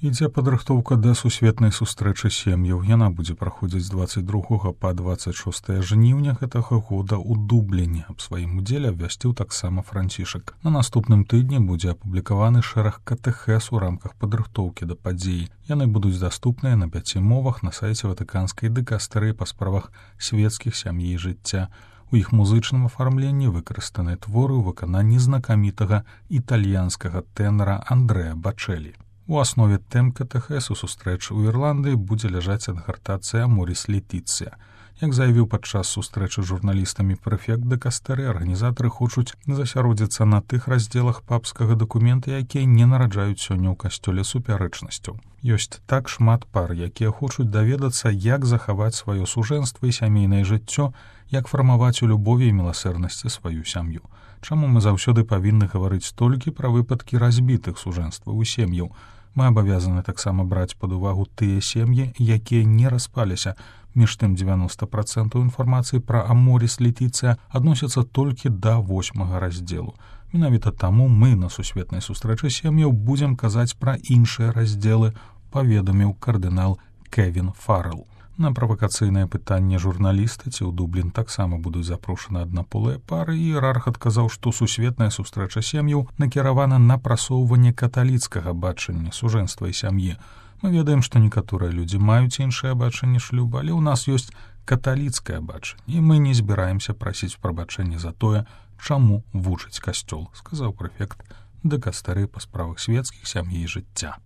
Ідзе падрыхтоўка да сусветнай сустрэчы сем'яў. Яна будзе праходзіць з 22 па 26 жніўня гэтага года ў Дубліне. Аб сваім удзеле абвясціў таксама Францішак. На наступным тыдні будзе апублікаваны шэраг катэхез у рамках падрыхтоўкі да падзеі. Яны будуць даступныя на 5 мовах на сайце Ватыканскай дыкастэрыі па справах свецкіх сям'і і жыцця. У іх музычным афармленні выкарыстаныя творы ў выкананні знакамітага італьянскага тэнара Андрэа Бачэлі. У аснове тэм катэхез у сустрэчы ў Ірландыі будзе ляжаць адгартацыя «Аморіс Летіцыя». Як заявіў падчас сустрэчы з журналістамі прэфект дыкастэры, арганізатары хочуць засяродзіцца на тых раздзелах папскага дакумента, якія не нараджаюць сёння ў касцёле супярэчнасцяў. Ёсць так шмат пар, якія хочуць даведацца, як захаваць сваё сужэнства і сямейнае жыццё, як фармаваць у любові і міласэрнасці сваю сям'ю. Чаму мы заўсёды павінны гаварыць толькі пра выпадкі разбітых сужэнстваў у сем'яў? Мы абавязаны таксама браць пад увагу тыя сем'і, якія не распаліся. Між тым 90% інфармацыі пра «Аморіс Летіцыя» адносяцца толькі да 8 раздзелу. Менавіта таму мы на сусветнай сустрэчы сем'яў будзем казаць пра іншыя раздзелы, паведаміў кардынал Кевін Фаррелл. На правакацыйнае пытанне журналіста, ці ў Дублін таксама будуць запрошаны аднаполыя пары, іерарх адказаў, што сусветная сустрэча сем'яў накіравана на прасоўванне каталіцкага бачання сужэнства і сям'і. Мы ведаем, што некаторыя людзі маюць іншае бачанне шлюба, але ў нас ёсць каталіцкае бачанне, і мы не збіраемся прасіць прабачэння за тое, чаму вучыць касцёл, сказаў прэфект дыкастэрыі па справах свецкіх сям'і і жыцця.